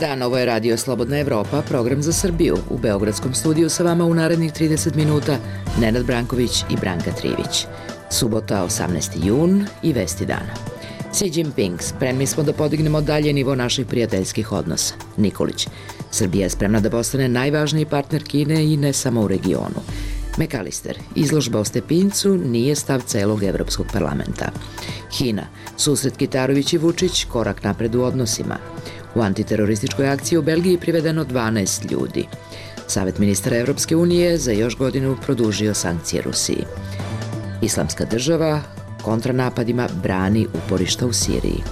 dan, ovo je Radio Slobodna Evropa, program za Srbiju. U Beogradskom studiju sa vama u narednih 30 minuta Nenad Branković i Branka Trivić. Subota, 18. jun i vesti dana. Xi Jinping, spremni smo da podignemo dalje nivo naših prijateljskih odnosa. Nikolić, Srbija je spremna da postane najvažniji partner Kine i ne samo u regionu. McAllister, izložba o Stepincu nije stav celog Evropskog parlamenta. Hina, susret Kitarović i Vučić, korak napred u odnosima. U antiterorističkoj akciji u Belgiji privedeno 12 ljudi. Savet ministara Evropske unije za još godinu produžio sankcije Rusiji. Islamska država kontranapadima brani uporišta u Siriji.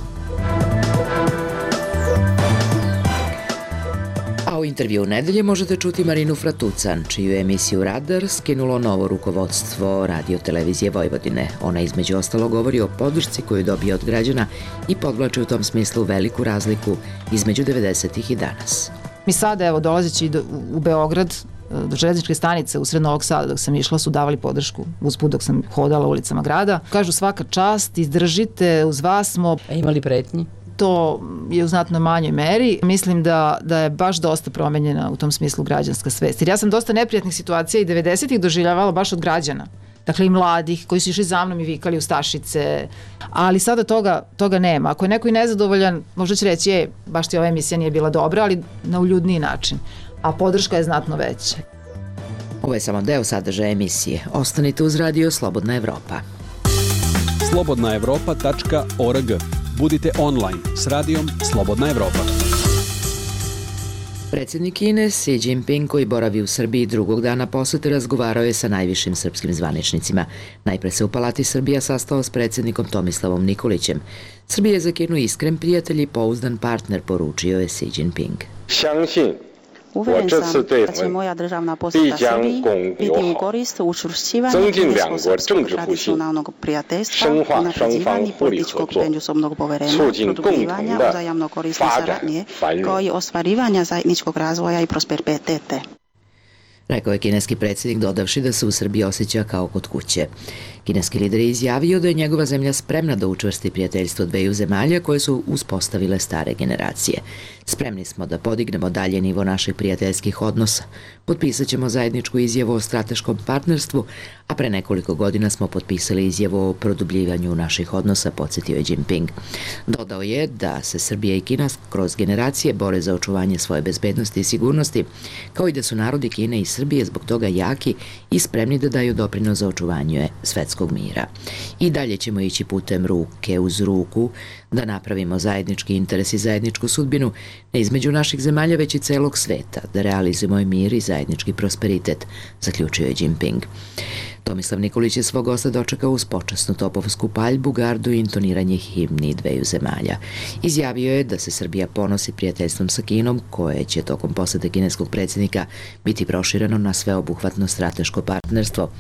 A u intervju nedelje možete čuti Marinu Fratucan, čiju emisiju Radar skinulo novo rukovodstvo Radio-televizije Vojvodine. Ona između ostalo govori o podršci koju dobije od građana i podvlači u tom smislu veliku razliku između 90-ih i danas. Mi sada, evo, dolazeći u Beograd, do železničke stanice usred Novog Sada dok sam išla su davali podršku usput dok sam hodala ulicama grada. Kažu svaka čast, izdržite, uz vas smo. A imali pretnji? To je u znatno manjoj meri. Mislim da je baš dosta promenjena u tom smislu građanska svest. Jer ja sam dosta neprijatnih situacija i 90-ih doživljavala baš od građana. Dakle i mladih koji su išli za mnom i vikali ustašice. Ali sada toga nema. Ako je neko i nezadovoljan, možda će reći, baš ti ova emisija nije bila dobra, ali na uljudniji način. A podrška je znatno veća. Ovo je samo deo sadržaja emisije. Ostanite uz Radio Slobodna Evropa. slobodnaevropa.org. Budite online s radijom Slobodna Evropa. Predsjednik Kine Xi Jinping, koji boravi u Srbiji drugog dana posete, razgovarao je sa najvišim srpskim zvaničnicima. Najpre se u Palati Srbija sastao s predsjednikom Tomislavom Nikolićem. Srbija je za Kinu iskren prijatelj i pouzdan partner, poručio je Xi Jinping. Uveren sam da će moja državna posjeta Srbiji biti u korist učvršćivanja kinesko-srpskog tradicionalnog prijateljstva, unapređivanja političkog međusobnog poverenja, produbljivanja uzajamno korisne saradnje, kao i ostvarivanja zajedničkog razvoja i prosperitete. Rekao je kineski predsjednik, dodavši da se u Srbiji osjeća kao kod kuće. Kineski lider je izjavio da je njegova zemlja spremna da učvrsti prijateljstvo dveju zemalja koje su uspostavile stare generacije. Spremni smo da podignemo dalje nivo naših prijateljskih odnosa. Potpisat ćemo zajedničku izjavu o strateškom partnerstvu, a pre nekoliko godina smo potpisali izjavu o produbljivanju naših odnosa, podsjetio je Jinping. Dodao je da se Srbija i Kina kroz generacije bore za očuvanje svoje bezbednosti i sigurnosti, kao i da su narodi Kine i Srbije zbog toga jaki i spremni da daju doprinos za očuvanje svetskog mira. I dalje ćemo ići putem ruke uz ruku da napravimo zajednički interes i zajedničku sudbinu, ne između naših zemalja već i celog sveta, da realizujemo i mir i zajednički prosperitet, zaključio je Jinping. Tomislav Nikolić je svog gosta dočekao uz počasnu topovsku paljbu, gardu i intoniranje himni dveju zemalja. Izjavio je da se Srbija ponosi prijateljstvom sa Kinom, koje će tokom posete kineskog predsjednika biti prošireno na sveobuhvatno strateško partnerstvo.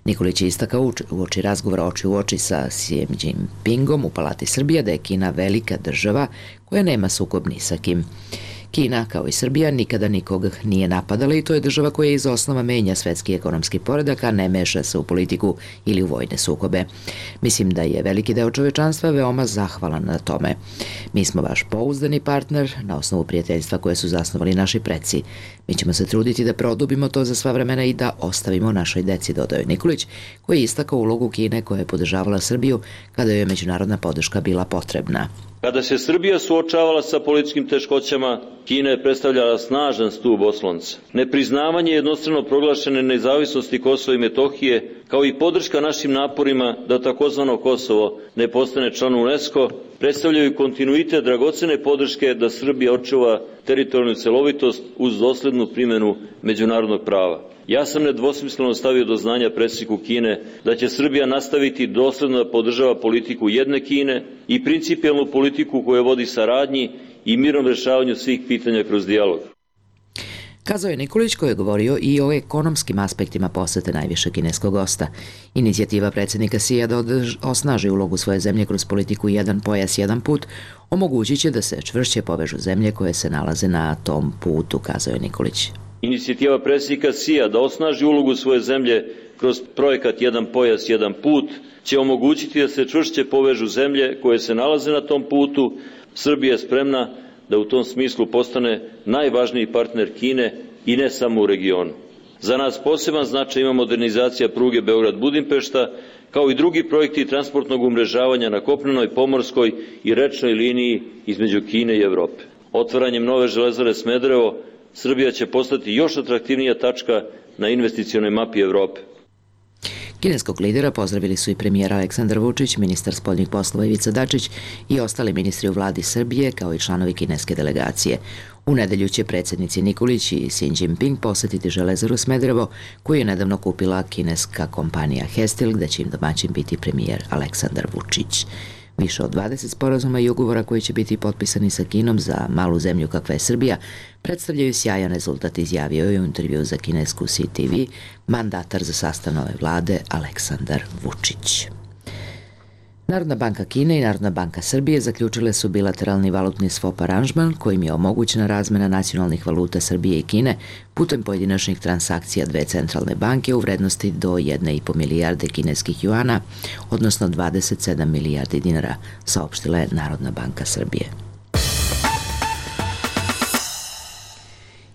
Nikolić je istakao uoči razgovora oči u oči sa Xi Jinpingom u Palati Srbija da je Kina velika država koja nema sukob ni sa kim. Kina, kao i Srbija, nikada nikog nije napadala i to je država koja iz osnova menja svetski ekonomski poredak, a ne meša se u politiku ili u vojne sukobe. Mislim da je veliki deo čovečanstva veoma zahvalan na tome. Mi smo vaš pouzdani partner na osnovu prijateljstva koje su zasnovali naši preci. Mi ćemo se truditi da produbimo to za sva vremena i da ostavimo našoj deci, dodao je Nikolić, koji je istakao ulogu Kine koja je podržavala Srbiju kada joj je međunarodna podrška bila potrebna. Kada se Srbija suočavala sa političkim teškoćama, Kina je predstavljala snažan stub oslonca. Nepriznavanje jednostrano proglašene nezavisnosti Kosova i Metohije, kao i podrška našim naporima da takozvano Kosovo ne postane član UNESCO, predstavljaju kontinuitet dragocene podrške da Srbija očuva teritorijalnu celovitost uz doslednu primjenu međunarodnog prava. Ja sam nedvosmisleno stavio do znanja predsjedniku Kine da će Srbija nastaviti dosledno da podržava politiku jedne Kine i principijelnu politiku koja vodi saradnji i mirnom rešavanju svih pitanja kroz dijalog. Kazao je Nikolić, koji je govorio i o ekonomskim aspektima posete najvišeg kineskog gosta. Inicijativa predsjednika Xija da osnaži ulogu svoje zemlje kroz politiku jedan pojas, jedan put omogućit će da se čvršće povežu zemlje koje se nalaze na tom putu, kazao je Nikolić. Inicijativa predsjednika Xija da osnaži ulogu svoje zemlje kroz projekat Jedan pojas, jedan put će omogućiti da se čvršće povežu zemlje koje se nalaze na tom putu. Srbija je spremna da u tom smislu postane najvažniji partner Kine i ne samo u regionu. Za nas poseban značaj ima modernizacija pruge Beograd-Budimpešta, kao i drugi projekti transportnog umrežavanja na kopnenoj, pomorskoj i rečnoj liniji između Kine i Evrope. Otvaranjem nove železare Smederevo, Srbija će postati još atraktivnija tačka na investicionoj mapi Evrope. Kineskog lidera pozdravili su i premijer Aleksandar Vučić, ministar spoljnih poslova Ivica Dačić i ostali ministri u vladi Srbije, kao i članovi kineske delegacije. U nedelju će predsjednici Nikolić i Xi Jinping posetiti železaru Smederevo, koju je nedavno kupila kineska kompanija Hestil, gde će im domaćin biti premijer Aleksandar Vučić. Više od 20 sporazuma i ugovora koji će biti potpisani sa Kinom za malu zemlju kakva je Srbija predstavljaju sjajan rezultat, izjavio je u intervju za kinesku CTV mandatar za sastav nove vlade Aleksandar Vučić. Narodna banka Kine i Narodna banka Srbije zaključile su bilateralni valutni swap aranžman kojim je omogućena razmena nacionalnih valuta Srbije i Kine putem pojedinačnih transakcija dve centralne banke u vrednosti do 1,5 milijarde kineskih juana, odnosno 27 milijardi dinara, saopštila je Narodna banka Srbije.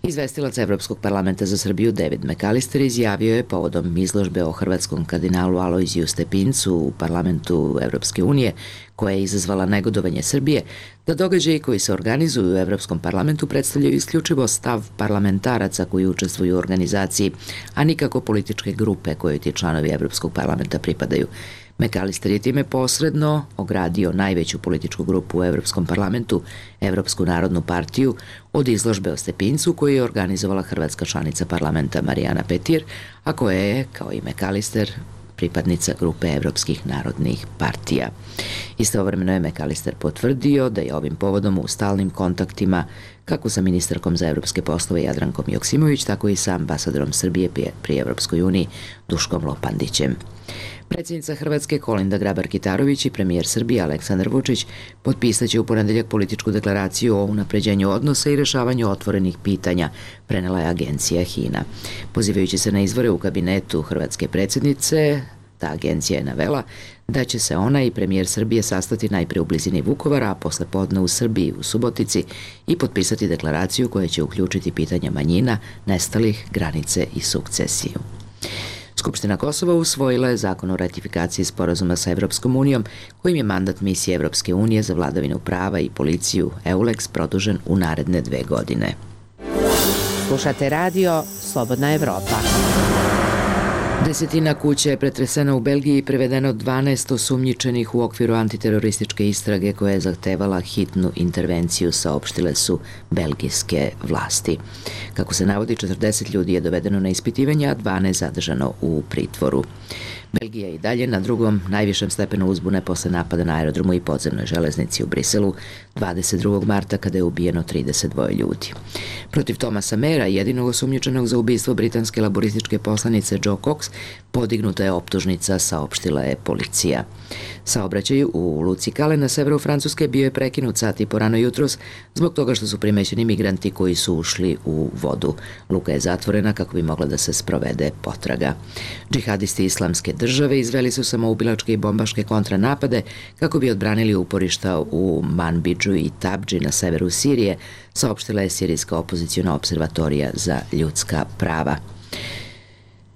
Izvestilac Evropskog parlamenta za Srbiju David McAllister izjavio je povodom izložbe o hrvatskom kardinalu Alojziju Stepincu u parlamentu Evropske unije, koja je izazvala negodovanje Srbije, da događaji koji se organizuju u Evropskom parlamentu predstavljaju isključivo stav parlamentaraca koji učestvuju u organizaciji, a nikako političke grupe kojoj ti članovi Evropskog parlamenta pripadaju. McAllister je time posredno ogradio najveću političku grupu u Evropskom parlamentu, Evropsku narodnu partiju, od izložbe o Stepincu koju je organizovala hrvatska članica parlamenta Marijana Petir, a koja je, kao i McAllister, pripadnica grupe Evropskih narodnih partija. Istovremeno je McAllister potvrdio da je ovim povodom u stalnim kontaktima kako sa ministarkom za evropske poslove Jadrankom Joksimović, tako i sa ambasadorom Srbije pri Evropskoj uniji Duškom Lopandićem. Predsjednica Hrvatske Kolinda Grabar-Kitarović i premijer Srbije Aleksandar Vučić potpisaće u ponedeljak političku deklaraciju o unapređenju odnosa i rešavanju otvorenih pitanja, prenela je agencija HINA. Pozivajući se na izvore u kabinetu hrvatske predsjednice, ta agencija je navela da će se ona i premijer Srbije sastati najpre u blizini Vukovara, a posle podne u Srbiji, u Subotici, i potpisati deklaraciju koja će uključiti pitanja manjina, nestalih, granice i sukcesiju. Skupština Kosova usvojila je zakon o ratifikaciji sporazuma sa Evropskom unijom, kojim je mandat misije Evropske unije za vladavinu prava i policiju EULEX produžen u naredne 2 godine. Slušate radio Slobodna Evropa. Desetina kuća je pretresena u Belgiji i prevedeno 12 osumnjičenih u okviru antiterorističke istrage koja je zahtevala hitnu intervenciju, saopštile su belgijske vlasti. Kako se navodi, 40 ljudi je dovedeno na ispitivanje, a 12 zadržano u pritvoru. Belgija je i dalje na drugom najvišem stepenu uzbune posle napada na aerodromu i podzemnoj železnici u Briselu 22. marta kada je ubijeno 32 ljudi. Protiv Thomasa Mayera, jedinog osumnjičenog za ubistvo britanske laborističke poslanice Jo Cox, podignuta je optužnica, saopštila je policija. Saobraćaj u luci Calais na severu Francuske bio je prekinut sat i po rano jutros zbog toga što su primećeni migranti koji su ušli u vodu. Luka je zatvorena kako bi mogla da se sprovede potraga. Džihadisti Islamske države izveli su samoubilačke i bombaške kontranapade kako bi odbranili uporišta u Manbidžu i Tabdži na severu Sirije, saopštila je Sirijska opozicijona observatorija za ljudska prava.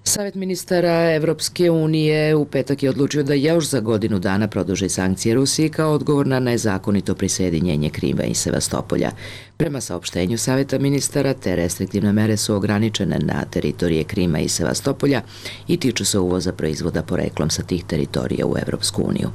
Savet ministara Evropske unije u petak je odlučio da još za godinu dana produži sankcije Rusiji kao odgovor na nezakonito prisjedinjenje Krima i Sevastopolja. Prema saopštenju Saveta ministara, te restriktivne mere su ograničene na teritorije Krima i Sevastopolja i tiču se uvoza proizvoda poreklom sa tih teritorija u Evropsku uniju.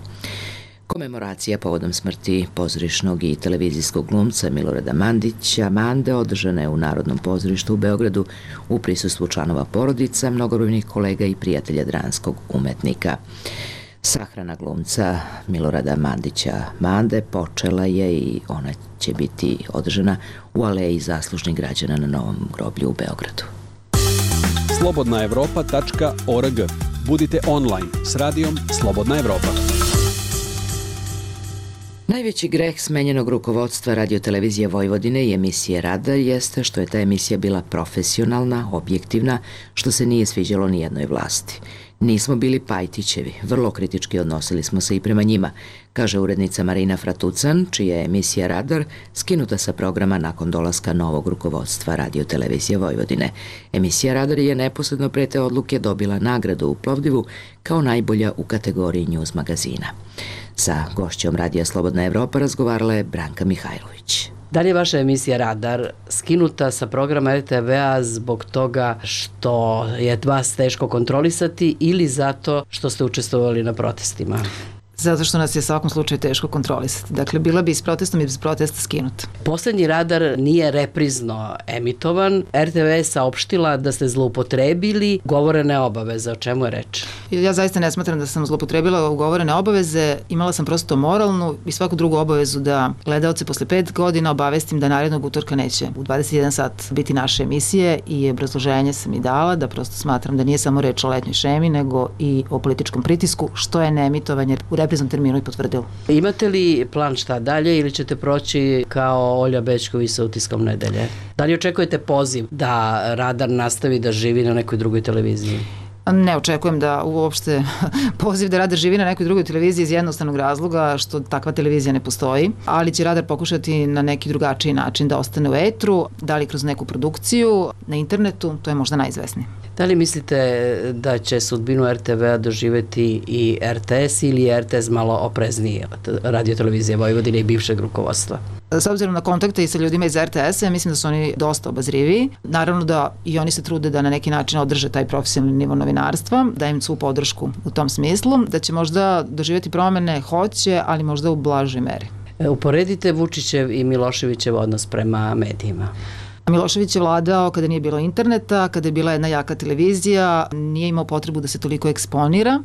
Komemoracija povodom smrti pozorišnog i televizijskog glumca Milorada Mandića Mande održana je u Narodnom pozorištu u Beogradu u prisustvu članova porodica, mnogobrojnih kolega i prijatelja dramskog umetnika. Sahrana glumca Milorada Mandića Mande počela je i ona će biti održana u aleji zaslužnih građana na Novom groblju u Beogradu. slobodnaevropa.org. Budite online s radijom Slobodna Evropa. Najveći greh smenjenog rukovodstva radiotelevizije Vojvodine i emisije Radar jeste što je ta emisija bila profesionalna, objektivna, što se nije sviđalo ni jednoj vlasti. Nismo bili Pajtićevi, vrlo kritički odnosili smo se i prema njima, kaže urednica Marina Fratucan, čija je emisija Radar skinuta sa programa nakon dolaska novog rukovodstva Radio Televizije Vojvodine. Emisija Radar je neposredno pre te odluke dobila nagradu u Plovdivu kao najbolja u kategoriji News magazina. Sa gošćom Radija Slobodna Evropa razgovarala je Branka Mihajlović. Da li je vaša emisija Radar skinuta sa programa RTV-a zbog toga što je vas teško kontrolisati ili zato što ste učestvovali na protestima? Zato što nas je u svakom slučaju teško kontrolisati. Dakle, bila bi s protestom i bez protesta skinuta. Poslednji Radar nije reprizno emitovan. RTV je saopštila da ste zloupotrebili ugovorene obaveze. O čemu je reč? Ja zaista ne smatram da sam zloupotrebila ugovorene obaveze. Imala sam prosto moralnu i svaku drugu obavezu da gledaoce posle 5 godina obavestim da narednog utorka neće u 21 sat biti naše emisije i obrazloženje sam i dala da prosto smatram da nije samo reč o letnjoj šemi nego i o političkom pritisku, što je neemitovanje u repriznom terminu i potvrdilo. Imate li plan šta dalje ili ćete proći kao Olja Bećković sa Utiskom nedelje? Da li očekujete poziv da Radar nastavi da živi na nekoj drugoj televiziji? Ne očekujem da uopšte poziv da Radar živi na nekoj drugoj televiziji iz jednostavnog razloga što takva televizija ne postoji, ali će Radar pokušati na neki drugačiji način da ostane u etru, da li kroz neku produkciju na internetu, to je možda najizvesnije. Da li mislite da će sudbinu RTV-a doživeti i RTS ili je RTS malo oprezniji od Radio Televizije Vojvodine i bivšeg rukovodstva? S obzirom na kontakte i sa ljudima iz RTS-a, mislim da su oni dosta obazriviji. Naravno da i oni se trude da na neki način održe taj profesionalni nivo novinarstva, da im svu podršku u tom smislu, da će možda doživjeti promene, hoće, ali možda u blažoj meri. Uporedite Vučićev i Miloševićev odnos prema medijima. Milošević je vladao kada nije bilo interneta, kada je bila jedna jaka televizija, nije imao potrebu da se toliko eksponira,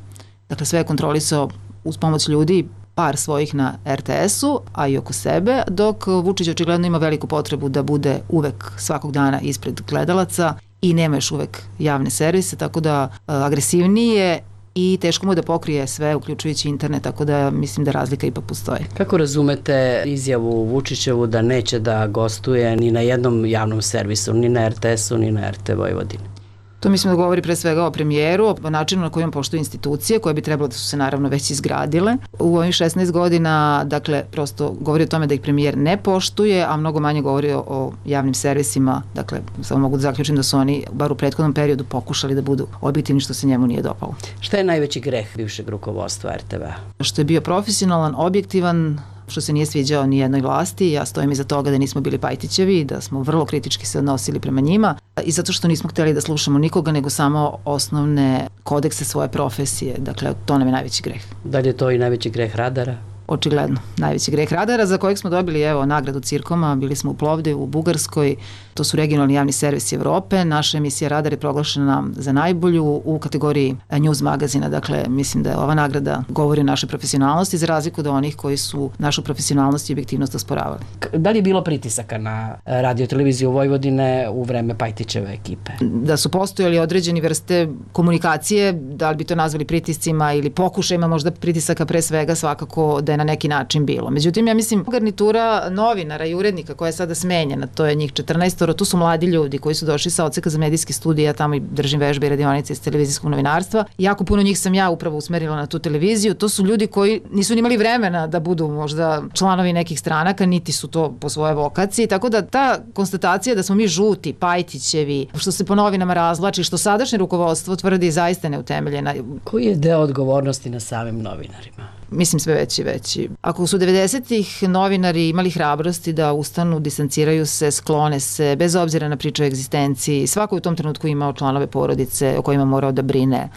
dakle sve je kontrolisao uz pomoć ljudi, par svojih na RTS-u, a i oko sebe, dok Vučić očigledno ima veliku potrebu da bude uvek svakog dana ispred gledalaca i nema još uvek javne servise, tako da agresivnije i teško mu da pokrije sve, uključujući internet, tako da mislim da razlika ipak postoji. Kako razumete izjavu Vučićevu da neće da gostuje ni na jednom javnom servisu, ni na RTS-u, ni na RT Vojvodini? To mislim da govori pre svega o premijeru, o načinu na kojem poštuju institucije, koje bi trebalo da su se naravno već izgradile. U ovih 16 godina, dakle, prosto govori o tome da ih premijer ne poštuje, a mnogo manje govori o javnim servisima, dakle, samo mogu da zaključim da su oni, bar u prethodnom periodu, pokušali da budu objektivni, što se njemu nije dopalo. Šta je najveći greh bivšeg rukovodstva RTV-a? Što je bio profesionalan, objektivan, što se nije sviđao ni jednoj vlasti. Ja stojim iza toga da nismo bili Pajtićevi, da smo vrlo kritički se odnosili prema njima i zato što nismo hteli da slušamo nikoga, nego samo osnovne kodekse svoje profesije. Dakle, to nam je najveći greh. Da li je to i najveći greh Radara? Očigledno, najveći greh Radara, za kojeg smo dobili, evo, nagradu Cirkoma, bili smo u Plovdivu, u Bugarskoj, to su regionalni javni servisi Evrope, naša emisija Radar je proglašena za najbolju u kategoriji News magazina, dakle, mislim da ova nagrada govori o našoj profesionalnosti, za razliku od onih koji su našu profesionalnost i objektivnost osporavali. Da li je bilo pritisaka na Radio Televiziju Vojvodine u vreme Pajtićeve ekipe? Da su postojali određeni vrste komunikacije, da li bi to nazvali pritiscima ili pokušajima možda pritisaka, pre svega svakako da je na neki način bilo. Međutim, ja mislim, garnitura novinara i urednika koja je sada smenjena, to je njih 14, tu su mladi ljudi koji su došli sa odseka za medijske studije, ja tamo i držim vežbe i radionice iz televizijskog novinarstva. Jako puno njih sam ja upravo usmerila na tu televiziju. To su ljudi koji nisu imali vremena da budu možda članovi nekih stranaka, niti su to po svojoj vokaciji, tako da ta konstatacija da smo mi žuti, Pajtićevi, što se po novinama razvlači, što sadašnje rukovodstvo tvrdi zaista neutemeljena. Koji je deo odgovornosti na samim novinarima? Mislim sve veći i veći. Ako su 90-ih novinari imali hrabrosti da ustanu, distanciraju se, sklone se, bez obzira na priču o egzistenciji, svako u tom trenutku imao članove porodice o kojima morao da brine.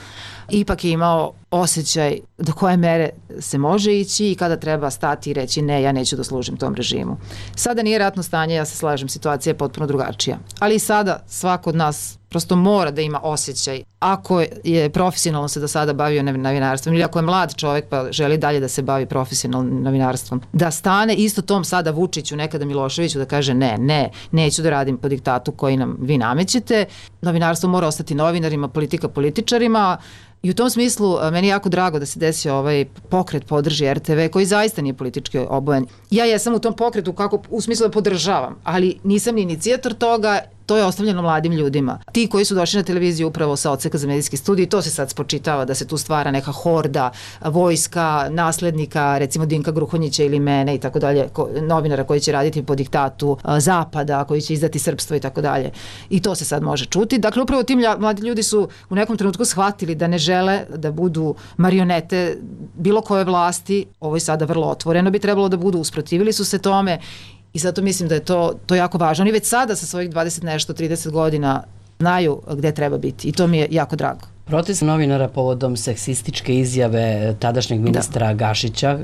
Ipak je imao osjećaj do koje mere se može ići i kada treba stati i reći ne, ja neću da služim tom režimu. Sada nije ratno stanje, ja se slažem, situacija je potpuno drugačija. Ali i sada svako od nas prosto mora da ima osjećaj, ako je profesionalno se do sada bavio novinarstvom ili ako je mlad čovek pa želi dalje da se bavi profesionalnim novinarstvom, da stane isto tom sada Vučiću, nekada Miloševiću, da kaže ne, neću da radim po diktatu koji nam vi namećete. Novinarstvo mora ostati novinarima, politika političarima. I u tom smislu meni je jako drago da se desio ovaj pokret podrži RTV koji zaista nije politički obojen. Ja jesam u tom pokretu kako u smislu da podržavam, ali nisam ni inicijator toga to je ostavljeno mladim ljudima. Ti koji su došli na televiziju upravo sa odseka za medijski studij, to se sad spočitava da se tu stvara neka horda, vojska, naslednika, recimo Dinka Gruhonjića ili mene i tako dalje, novinara koji će raditi po diktatu Zapada, koji će izdati srpstvo i tako dalje. I to se sad može čuti. Dakle, upravo ti mladi ljudi su u nekom trenutku shvatili da ne žele da budu marionete bilo koje vlasti, ovo je sada vrlo otvoreno, bi trebalo da budu, usprotivili su se tome i zato mislim da je to jako važno. Oni već sada sa svojih 20 nešto, 30 godina znaju gde treba biti i to mi je jako drago. Protest novinara povodom seksističke izjave tadašnjeg ministra Gašića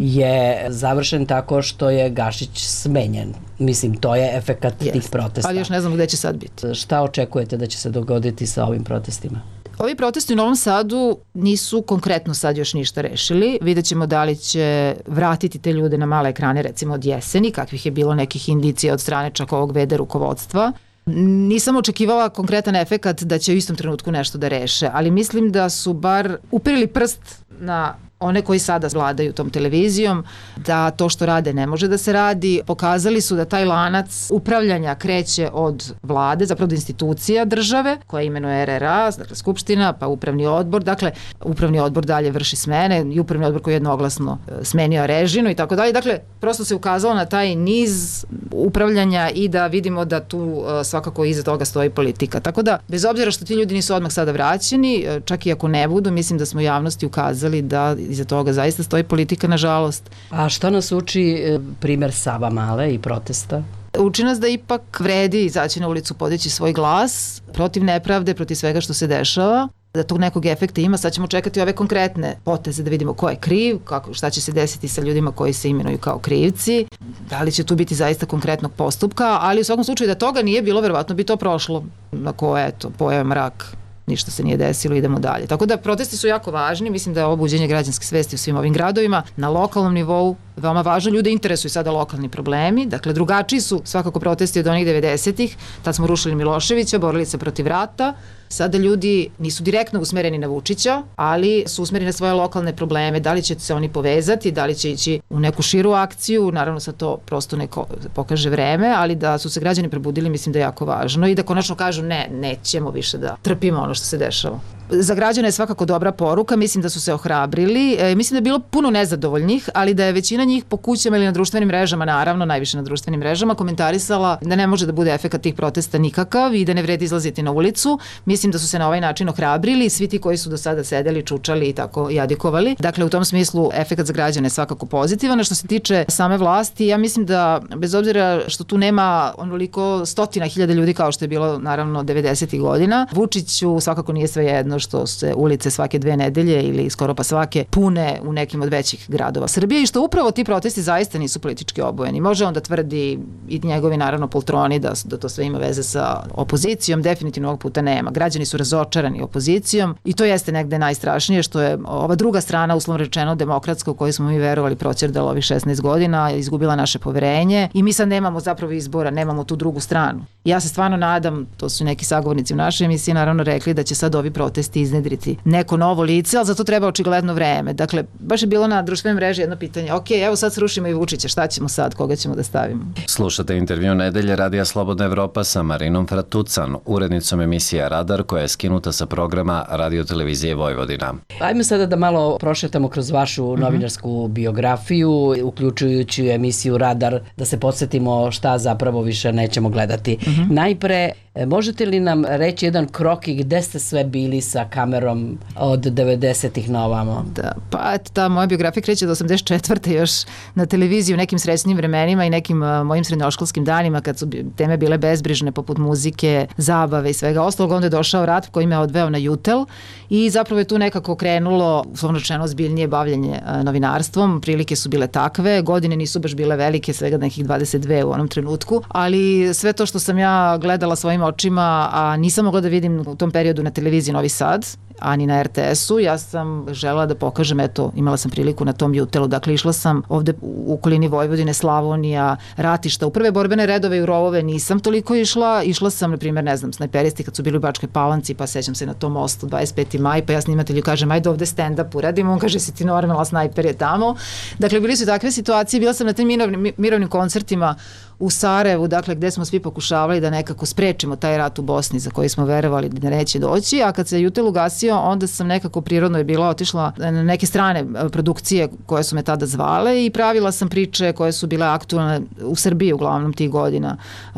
je završen tako što je Gašić smenjen. Mislim, to je efekat tih protesta. Ali još ne znam gde će sad biti. Šta očekujete da će se dogoditi sa ovim protestima? Ovi protesti u Novom Sadu nisu konkretno sad još ništa rešili. Vidjet ćemo da li će vratiti te ljude na male ekrane, recimo od jeseni, kakvih je bilo nekih indicija od strane čak ovog VD rukovodstva. Nisam očekivala konkretan efekat da će u istom trenutku nešto da reše, ali mislim da su bar uperili prst na one koji sada vladaju tom televizijom, da to što rade ne može da se radi. Pokazali su da taj lanac upravljanja kreće od vlade, zapravo od institucija države, koja imenuje RRA, dakle Skupština, pa upravni odbor. Dakle, upravni odbor dalje vrši smene i upravni odbor koji je jednoglasno smenio Režinu i tako dalje. Dakle, prosto se ukazalo na taj niz upravljanja i da vidimo da tu svakako iza toga stoji politika. Tako da, bez obzira što ti ljudi nisu odmah sada vraćeni, čak i ako ne budu, mislim da smo javnosti ukazali da iza toga zaista stoji politika, nažalost. A što nas uči primer Savamale i protesta? Uči nas da ipak vredi izaći na ulicu, podići svoj glas protiv nepravde, protiv svega što se dešava, da tog nekog efekta ima. Sad ćemo čekati ove konkretne poteze da vidimo ko je kriv, šta će se desiti sa ljudima koji se imenuju kao krivci, da li će tu biti zaista konkretnog postupka, ali u svakom slučaju da toga nije bilo, verovatno bi to prošlo. Ako eto, pojave mrak, ništa se nije desilo, idemo dalje. Tako da protesti su jako važni, mislim da je ovo buđenje građanske svesti u svim ovim gradovima. Na lokalnom nivou veoma važno, ljude interesuju sada lokalni problemi, dakle drugačiji su svakako protesti od onih 90-ih, tad smo rušili Miloševića, borili se protiv rata, sada ljudi nisu direktno usmereni na Vučića, ali su usmereni na svoje lokalne probleme, da li će se oni povezati, da li će ići u neku širu akciju, naravno sad to prosto neko pokaže vreme, ali da su se građani probudili, mislim da je jako važno i da konačno kažu ne, nećemo više da trpimo ono što se dešava. Za građane je svakako dobra poruka, mislim da su se ohrabrili, mislim da je bilo puno nezadovoljnih, ali da je većina njih po kućama ili na društvenim mrežama, naravno najviše na društvenim mrežama, komentarisala da ne može da bude efekat tih protesta nikakav i da ne vredi izlaziti na ulicu. Mislim da su se na ovaj način ohrabrili, svi ti koji su do sada sedeli, čučali i tako jadikovali. Dakle, u tom smislu efekat za građane je svakako pozitivan. Što se tiče same vlasti, ja mislim da bez obzira što tu nema onoliko stotina hiljada ljudi kao što je bilo naravno 90. godina, Vučiću svakako nije svejedno što se ulice svake 2 nedelje ili skoro pa svake pune u nekim od većih gradova Srbije i što upravo ti protesti zaista nisu politički obojeni. Može on da tvrdi i njegovi naravno poltroni da to sve ima veze sa opozicijom, definitivno ovog puta nema. Građani su razočarani opozicijom i to jeste negde najstrašnije što je ova druga strana, uslovno rečeno demokratska, u kojoj smo mi verovali proćerdala ovih 16 godina, izgubila naše poverenje i mi sad nemamo zapravo izbora, nemamo tu drugu stranu. Ja se stvarno nadam, to su neki sagovornici u našoj emisiji naravno rekli da će sad ovi protesti iznedriti neko novo lice, ali za to treba očigledno vreme. Dakle, baš je bilo na društvenoj mreži jedno pitanje, ok, evo sad srušimo i Vučića, šta ćemo sad, koga ćemo da stavimo? Slušate intervju Nedelje Radija Slobodna Evropa sa Marinom Fratucan, urednicom emisija Radar koja je skinuta sa programa Radio-televizije Vojvodina. Ajmo sada da malo prošetamo kroz vašu novinarsku biografiju, uključujući emisiju Radar, da se podsjetimo šta zapravo više nećemo gledati. Najpre, možete li nam reći jedan krok i gde ste sve bili sa kamerom od 90-ih na ovamo? Da, pa eto, ta moja biografija kreće do 84. još na televiziji u nekim srećnim vremenima i nekim mojim srednjoškolskim danima kad su teme bile bezbrižne poput muzike, zabave i svega ostalog. Onda je došao rat koji me odveo na Jutel i zapravo je tu nekako krenulo uslovno rečeno zbiljnije bavljenje novinarstvom. Prilike su bile takve, godine nisu baš bile velike, svega nekih 22 u onom trenutku, ali sve to što sam ja gledala svojim očima, a nisam mogla da vidim u tom periodu na televiziji Novi Sad, a ni na RTS-u. Ja sam želela da pokažem, eto, imala sam priliku na tom Jutelu, dakle išla sam ovde u okolini Vojvodine, Slavonija, ratišta, u prve borbene redove i u rovove nisam toliko išla sam, na primjer, ne znam, snajperisti kad su bili u Bačkoj Palanci, pa sećam se na tom mostu 25. maj, pa ja snimatelju kažem, ajde ovde stand-up uradimo, on kaže, si ti normalna, snajper je tamo. Dakle, bili su takve situacije, bila sam na tim mirovnim koncertima u Sarajevu, dakle, gde smo svi pokušavali da nekako sprečimo taj rat u Bosni za koji smo verovali da neće doći, a kad se Jutel ugasio, onda sam nekako prirodno je bila otišla na neke strane produkcije koje su me tada zvale i pravila sam priče koje su bile aktualne u Srbiji uglavnom tih godina,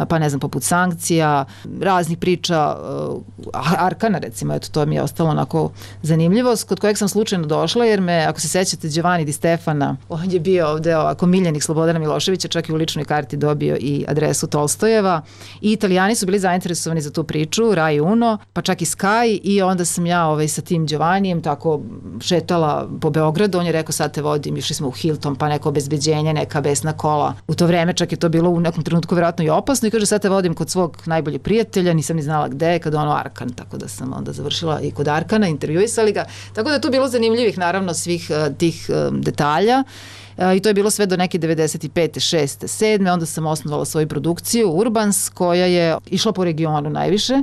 pa ne znam, poput Sankcija, raznih priča, Arkana recimo, eto, to mi je ostalo onako zanimljivost, kod kojeg sam slučajno došla, jer me, ako se sećate, Giovanni Di Stefana, on je bio ovde ovako miljenik Slobodana Miloševića, čak i u ličnoj karti dobio i adresu Tolstojeva i Italijani su bili zainteresovani za tu priču, Rai Uno, pa čak i Sky, i onda sam ja sa tim Giovannijem tako šetala po Beogradu, on je rekao sad te vodim, išli smo u Hilton, pa neko obezbeđenje, neka besna kola. U to vreme čak je to bilo u nekom trenutku vjerojatno i opasno i kaže sad te vodim kod svog najboljeg prijatelja, nisam ni znala gde, kad ono Arkan, tako da sam onda završila i kod Arkana, intervjuisali ga, tako da je tu bilo zanimljivih naravno svih tih detalja. I to je bilo sve do neke 95. 6. 7. Onda sam osnovala svoju produkciju Urbans, koja je išla po regionu najviše.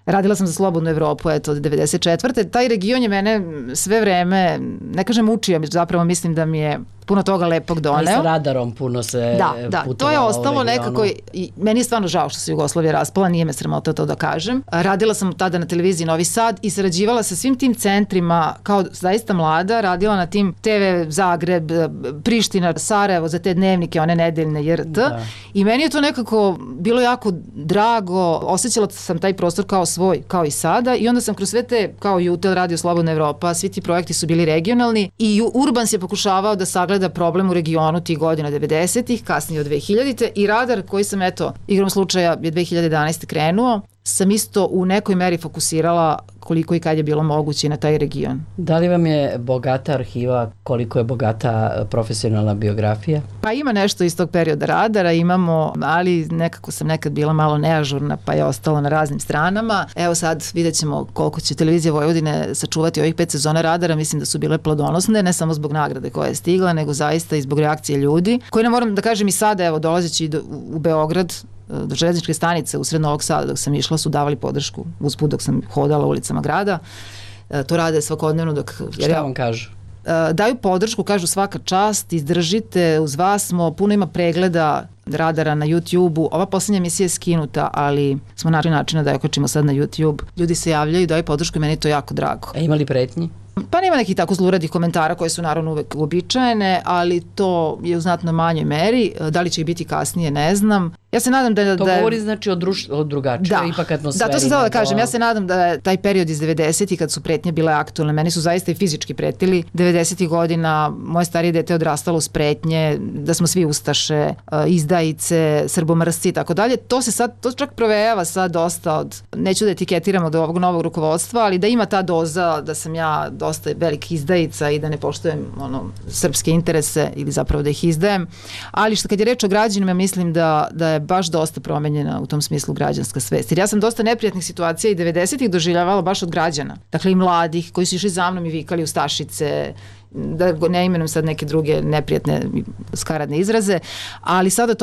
Radila sam za Slobodnu Evropu, eto, od 94. Taj region je mene sve vreme, ne kažem učio, zapravo mislim da mi je puno toga lepog doneo. Ali sa radarom puno se putovalo. To je ostalo nekako, i meni je stvarno žao što se Jugoslavija raspala, nije me sramota to da kažem. Radila sam tada na televiziji Novi Sad i sarađivala sa svim tim centrima, kao zaista mlada, radila na tim TV Zagreb, Priština, Sarajevo, za te dnevnike, one nedeljne JRT. I meni je to nekako bilo jako drago, osjećala sam taj prostor kao svoj, kao i sada, i onda sam kroz sve te, kao Jutel, Radio Slobodna Evropa, svi ti projekti su bili regionalni i Urbans je pokušavao da sagleda problem u regionu tih godina 90-ih, kasnije od 2000-te, i Radar koji sam, eto, igrom slučaja je 2011. krenuo, sam isto u nekoj meri fokusirala koliko i kad je bilo moguće na taj region. Da li vam je bogata arhiva, koliko je bogata profesionalna biografija? Pa ima nešto iz tog perioda Radara, imamo, ali nekako sam nekad bila malo neažurna, pa je ostalo na raznim stranama. Evo sad vidjet ćemo koliko će televizija Vojvodine sačuvati ovih 5 sezona Radara, mislim da su bile plodonosne, ne samo zbog nagrade koja je stigla, nego zaista i zbog reakcije ljudi, koji, ne moram da kažem, i sada, evo, dolazeći u Beograd, do železničke stanice u sred Novog Sada dok sam išla, su davali podršku usput dok sam hodala ulicama grada. To rade svakodnevno dok... Šta vam kažu? Daju podršku, kažu svaka čast, izdržite, uz vas smo, puno ima pregleda Radara na YouTube-u. Ova posljednja emisija je skinuta, ali smo našli načina da je okačimo sad na YouTube. Ljudi se javljaju, daju podršku i meni je to jako drago. A ima li pretnji? Pa nema nekih tako zluradih komentara koje su naravno uvek uobičajene, ali to je u znatno manjoj meri. Da li će ih biti kasnije, ne znam. Ja se nadam da... To govori znači o drugačijoj ipak atmosferi. Da, to sam htjela da kažem. Ja se nadam da je taj period iz 90-ih kad su pretnje bile aktualne, meni su zaista i fizički pretili. 90-ih godina moje starije dete odrastalo uz pretnje, da smo svi ustaše, izdajice, srbomrsci i tako dalje. To se sad, to čak provejava sad dosta od, neću da etiketiram od ovog novog rukovodstva, ali da ima ta doza da sam ja dosta veliki izdajica i da ne poštujem srpske interese ili zapravo da ih izdajem. Ali što kad je reč o građanima, mislim da je baš dosta promenjena u tom smislu građanska svest. Jer ja sam dosta neprijatnih situacija i 90-ih doživljavala baš od građana. Dakle, i mladih koji su išli za mnom i vikali ustašice, da ne imenujem sad neke druge neprijatne skaradne izraze, ali sada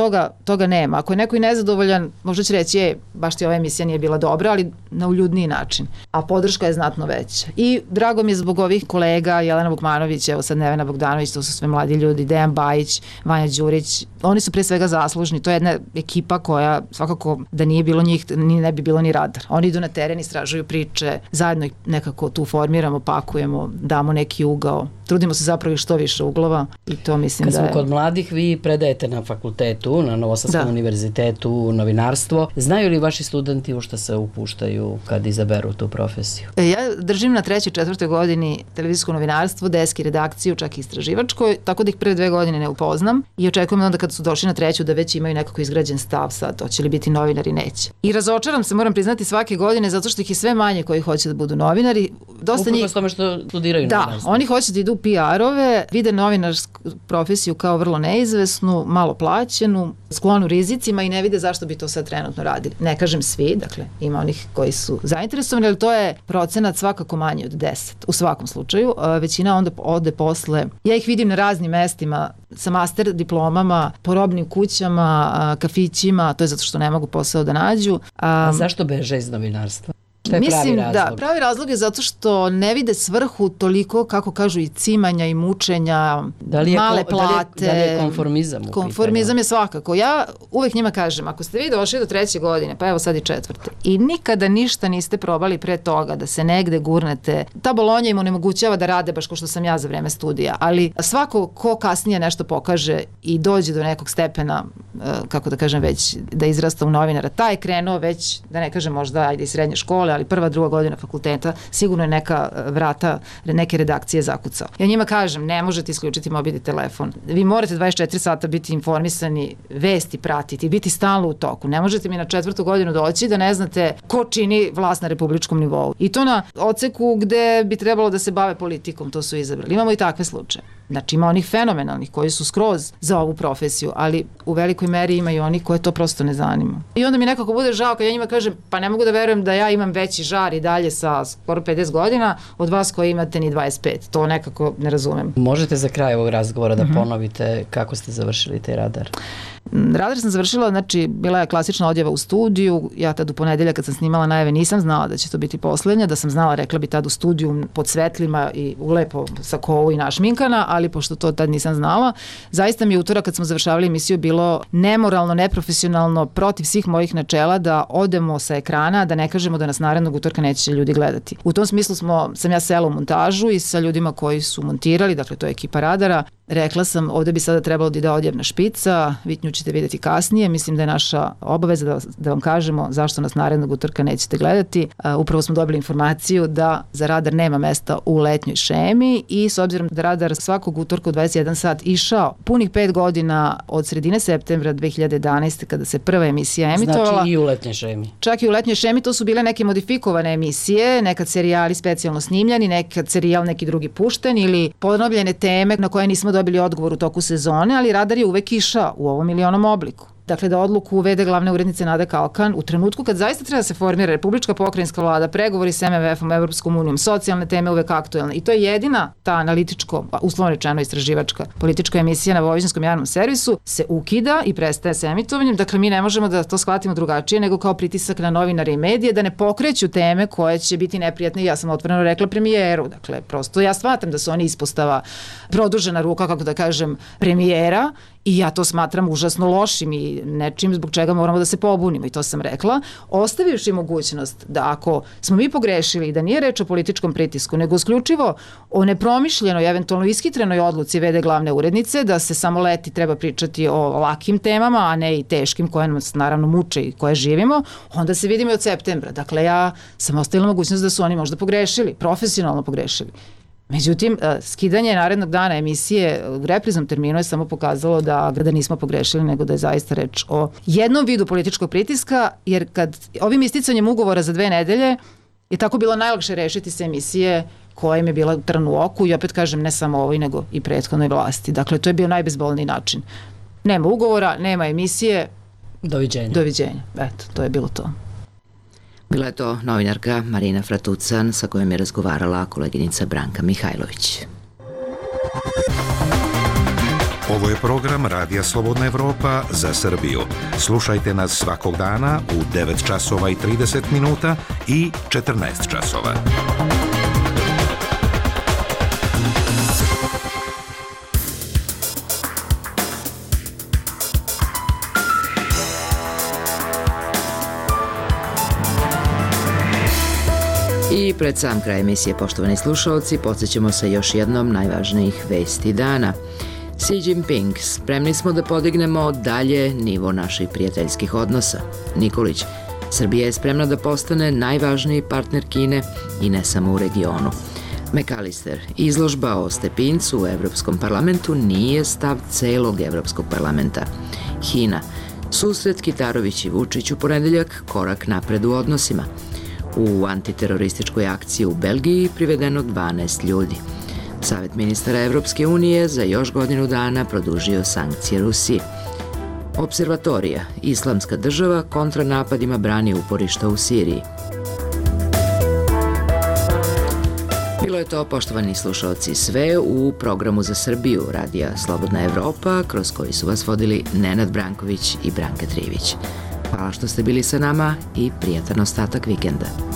toga nema. Ako je neko i nezadovoljan, možda će reći, baš ti ova emisija nije bila dobra, ali na uljudniji način. A podrška je znatno veća. I drago mi je zbog ovih kolega, Jelena Vukmanović, evo sad Nevena Bogdanović, to su sve mladi ljudi, Dejan Bajić, Vanja Đurić, oni su pre svega zaslužni. To je jedna ekipa koja svakako da nije bilo njih, ne bi bilo ni Radar. Oni idu na teren, istražuju priče, zajedno ih nekako tu formiramo, pakujemo, damo neki ugao. Trudimo se zapravo što više uglova i to mislim da je... Kad smo kod mladih, vi predajete na fakultetu, na Novosadskom univerzitetu, novinarstvo. Znaju li vaši studenti u što se upuštaju kad izaberu tu profesiju? Ja držim na 3. i 4. godini televizijsko novinarstvo, deski, redakciju, čak i istraživačko, tako da ih prve 2 godine ne upoznam i očekujem onda kad su došli na 3. da već imaju nekako izgrađen stav sad, hoće li biti novinari, neće. I razočaram se, moram priznati, svake godine zato što ih je sve manje koji hoće da budu novinari. Upravo s tome što studiraju novinarstvo. Da, oni hoće da idu u PR-ove, vide novinarsku profesiju kao vrlo neizvesnu, malo plaćenu, sklonu rizicima i ne vide zašto bi to sad trenutno radili. Ne kažem svi, dakle ima onih koji su zainteresovani, ali to je procenat svakako manji od 10 u svakom slučaju. Većina onda ode posle, ja ih vidim na raznim mestima sa master diplomama, po robnim kućama, kafićima, to je zato što ne mogu posao da nađu. A zašto beže iz novinarstva? Mislim da pravi razlog je zato što ne vide svrhu toliko, kako kažu, i cimanja i mučenja, male plate. Da li je konformizam u pitanju? Konformizam je svakako. Ja uvek njima kažem, ako ste vi došli do 3. godine, pa evo sad i 4. i nikada ništa niste probali pre toga da se negde gurnete, ta Bolonja im onemogućava da rade baš kao što sam ja za vreme studija, ali svako ko kasnije nešto pokaže i dođe do nekog stepena, kako da kažem, već da izrasta u novinara, taj je krenuo već, da ne kažem možda ajde i srednje škole, ali 1. 2. godina fakulteta, sigurno je neka vrata, neke redakcije zakucao. Ja njima kažem, ne možete isključiti mobilni telefon. Vi morate 24 sata biti informisani, vesti pratiti, biti stalno u toku. Ne možete mi na 4. godinu doći da ne znate ko čini vlast na republičkom nivou. I to na odseku gde bi trebalo da se bave politikom, to su izabrali. Imamo i takve slučaje. Znači ima onih fenomenalnih koji su skroz za ovu profesiju, ali u velikoj meri ima i oni koje to prosto ne zanima. I onda mi nekako bude žao kad ja njima kažem, pa ne mogu da verujem da ja imam veći žar i dalje sa skoro 50 godina od vas koji imate ni 25. To nekako ne razumem. Možete za kraj ovog razgovora da ponovite kako ste završili taj radar? Radar sam završila, znači bila je klasična odjava u studiju, ja tad u ponedeljak kad sam snimala najave nisam znala da će to biti poslednja, da sam znala, rekla bi tad u studiju pod svetlima i lepo sa kovu i našminkana, ali pošto to tad nisam znala, zaista mi je utorak kad smo završavali emisiju bilo nemoralno, neprofesionalno, protiv svih mojih načela da odemo sa ekrana, da ne kažemo da nas narednog utorka neće ljudi gledati. U tom smislu sam ja sela u montažu i sa ljudima koji su montirali, dakle to je ekipa Radara. Rekla sam, ovde bi sada trebalo da ide odjevna špica, vi nju ćete vidjeti kasnije, mislim da je naša obaveza da vam kažemo zašto nas narednog utorka nećete gledati. Upravo smo dobili informaciju da za Radar nema mesta u letnjoj šemi i s obzirom da Radar svakog utorka u 21 sat išao punih 5 godina od sredine septembra 2011. kada se prva emisija emitovala. Znači i u letnjoj šemi. Čak i u letnjoj šemi, to su bile neke modifikovane emisije, nekad serijali specijalno snimljani, nekad serijal neki drugi pušten ili ponovljene teme na koje nismo dobili odgovor u toku sezone, ali Radar je uvek išao u ovom ili onom obliku. Dakle, da odluku uvede glavne urednice Nada Kalkan u trenutku kad zaista treba se formira republička pokrajinska vlada, pregovori s MMF-om, Evropskom unijom, socijalne teme uvek aktuelne. I to je jedina ta analitičko, uslovno rečeno istraživačka politička emisija na Vojvođanskom javnom servisu se ukida i prestaje sa emitovanjem. Dakle, mi ne možemo da to shvatimo drugačije nego kao pritisak na novinare i medije da ne pokreću teme koje će biti neprijatne. Ja sam otvoreno rekla premijeru. Dakle, prosto ja shvatam da su oni ispostava produžena ruka, kako da kažem, premijera. I ja to smatram užasno lošim i nečim zbog čega moramo da se pobunimo i to sam rekla, ostavivši mogućnost da ako smo mi pogrešili i da nije reč o političkom pritisku, nego isključivo o nepromišljenoj, eventualno ishitrenoj odluci vede glavne urednice, da se samo leti treba pričati o lakim temama, a ne i teškim koje nas naravno muče i koje živimo, onda se vidimo i od septembra. Dakle, ja sam ostavila mogućnost da su oni možda pogrešili, profesionalno pogrešili. Međutim, skidanje narednog dana emisije u repriznom terminu je samo pokazalo da nismo pogrešili, nego da je zaista reč o jednom vidu političkog pritiska, jer kad ovim isticanjem ugovora za 2 nedelje je tako bilo najlakše rešiti se emisije koja im je bila trn u oku i opet kažem ne samo ovoj nego i prethodnoj vlasti. Dakle, to je bio najbezbolniji način. Nema ugovora, nema emisije. Doviđenja. Doviđenja. Eto, to je bilo to. Bila je to novinarka Marina Fratucan sa kojom je razgovarala koleginica Branka Mihajlović. Ovo je program Radija Slobodna Evropa za Srbiju. Slušajte nas svakog dana u 9 časova i 30 minuta i 14 časova. I pred sam kraj emisije, poštovani slušalci, podsjećamo se još jednom najvažnijih vesti dana. Xi Jinping, spremni smo da podignemo dalje nivo naših prijateljskih odnosa. Nikolić, Srbija je spremna da postane najvažniji partner Kine i ne samo u regionu. McAllister, izložba o Stepincu u Evropskom parlamentu nije stav celog Evropskog parlamenta. Hina, susret Kitarović i Vučić u ponedeljak, korak napred u odnosima. U antiterorističkoj akciji u Belgiji privedeno 12 ljudi. Savet ministara Evropske unije za još godinu dana produžio sankcije Rusiji. Observatorija, Islamska država kontra napadima brani uporišta u Siriji. Bilo je to, poštovani slušalci, sve u programu za Srbiju Radija Slobodna Evropa, kroz koji su vas vodili Nenad Branković i Branka Trivić. Hvala što ste bili sa nama i prijatan ostatak vikenda.